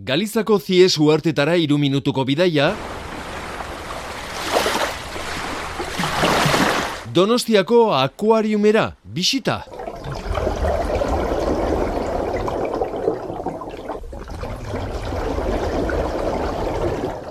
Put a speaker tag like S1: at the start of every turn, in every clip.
S1: Galizako Zies uhartetara 3 minutuko bidaia, Donostiako akuariumera bisita.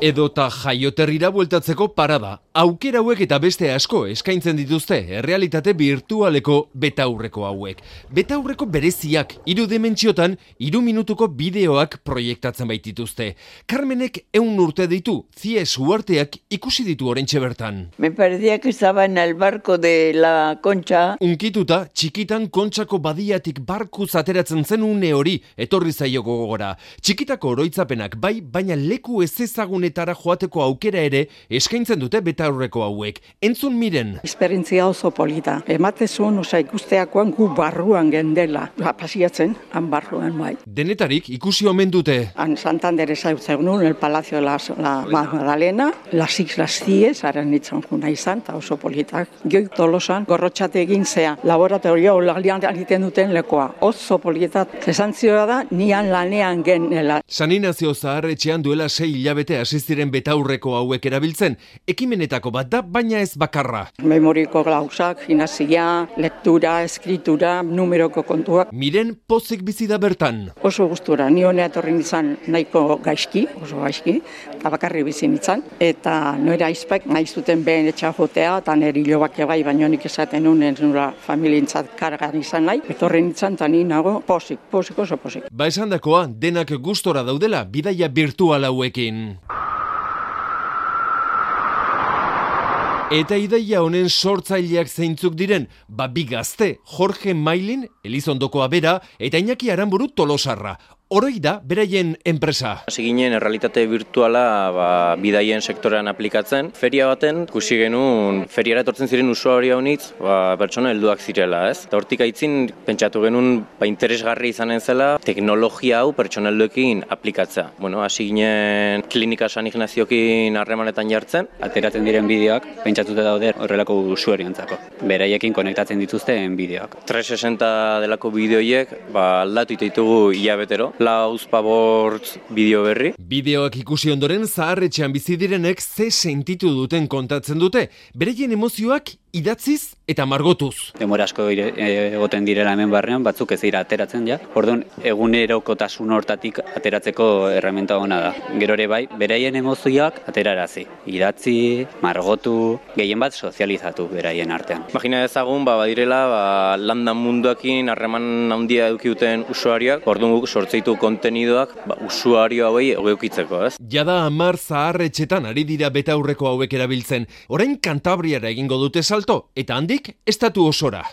S1: Edota jaioterrira bueltatzeko parada. Aukera hauek eta beste asko eskaintzen dituzte errealitate virtualeko betaurreko hauek. Betaurreko bereziak 3 dimentsiotan 3 minutuko bideoak proiektatzen baitituzte. Carmenek 100 urte ditu, Zies uharteak ikusi ditu oraintxe bertan.
S2: Me parecía que estaba en el barco de la Concha.
S1: Unkituta, txikitan Kontxako badiatik barkuz ateratzen zen une hori etorri zaio gogora. Txikitako oroitzapenak bai, baina leku ezezagunetara joateko aukera ere eskaintzen dute betaurreko hauek. Entzun miren.
S3: Esperientzia oso polita. Ematezun, ikusteakoan gu barruan gendela. Pasiatzen, han barruan bai.
S1: Denetarik ikusi omen dute.
S3: Han Santander ezagutzen el Palacio de la Magdalena, las Islas Zies, haren nitzen juna izan, eta oso politak. Goi Tolosan, gorrotxate egin zea, laboratorio lalian egiten duten lekoa. Oso politat. Esan zioa da, nian lanean genela.
S1: San Inazio zaharretxean duela 6 hilabete hasi ziren betaurreko hauek erabiltzen. Ekimenetako bat da, baina ez bakarra.
S3: Memoriko gauzak, gimnasia, lektura, eskritura, numeroko kontuak.
S1: Miren pozik bizi da bertan.
S3: Oso gustura, ni honea etorri nintzen nahiko gaizki, oso gaizki, eta bakarri bizi nintzen. Eta noera aizpak nahi zuten behen etxajotea, eta nire hilobak bai, baina nik esaten honen nura familientzat kargan izan nahi. Etorri nintzen, eta ni nago pozik, oso pozik.
S1: Ba esandakoa, denak gustora daudela bidaia virtual hauekin. Eta ideia honen sortzaileak zeintzuk diren, bi gazte, Jorge Mailin, Elizondokoa bera, eta Iñaki Aranburu Tolosarra. Horoi da, beraien enpresa.
S4: Hasi ginen errealitate virtuala bidaien sektorean aplikatzen. Feria baten, ikusi genuen, feriara etortzen ziren usuaria honitz, pertsona helduak zirela, ez? Eta hortik aitzin, pentsatu genuen, interesgarri izanen zela, teknologia hau pertsona helduekin aplikatzea. Hasi ginen klinika San Ignaziokin harremanetan jartzen.
S5: Ateratzen diren bideoak, pentsatuta daude horrelako usuarientzako. Beraiekin konektatzen dituzten bideoak.
S4: 360 delako bideoiek, aldatu ditugu hilabetero. Lauzpabortz bideo berri.
S1: Bideoak ikusi ondoren zaharretxean bizi direnek ze sentitu duten kontatzen dute. Bereien emozioak idatziz eta margotuz.
S5: Denbora asko egoten direla hemen barrean, batzuk ez dira ateratzen ja. Orduan, egunerokotasun hortatik ateratzeko erreminta ona da. Gero ere bai, beraien emozioak aterarazi. Idatzi, margotu, gehien bat sozializatu beraien artean.
S4: Imagina ezagun, badirela, landan munduakin harreman handia edukiuten usuarioak, orduan guk sortzeitu kontenidoak usuario hauei edukitzeko, ez?
S1: Jada 10 zaharretxetan ari dira betaurreko hauek erabiltzen. Orain Kantabriara egingo dute salto, eta handik estatu osora.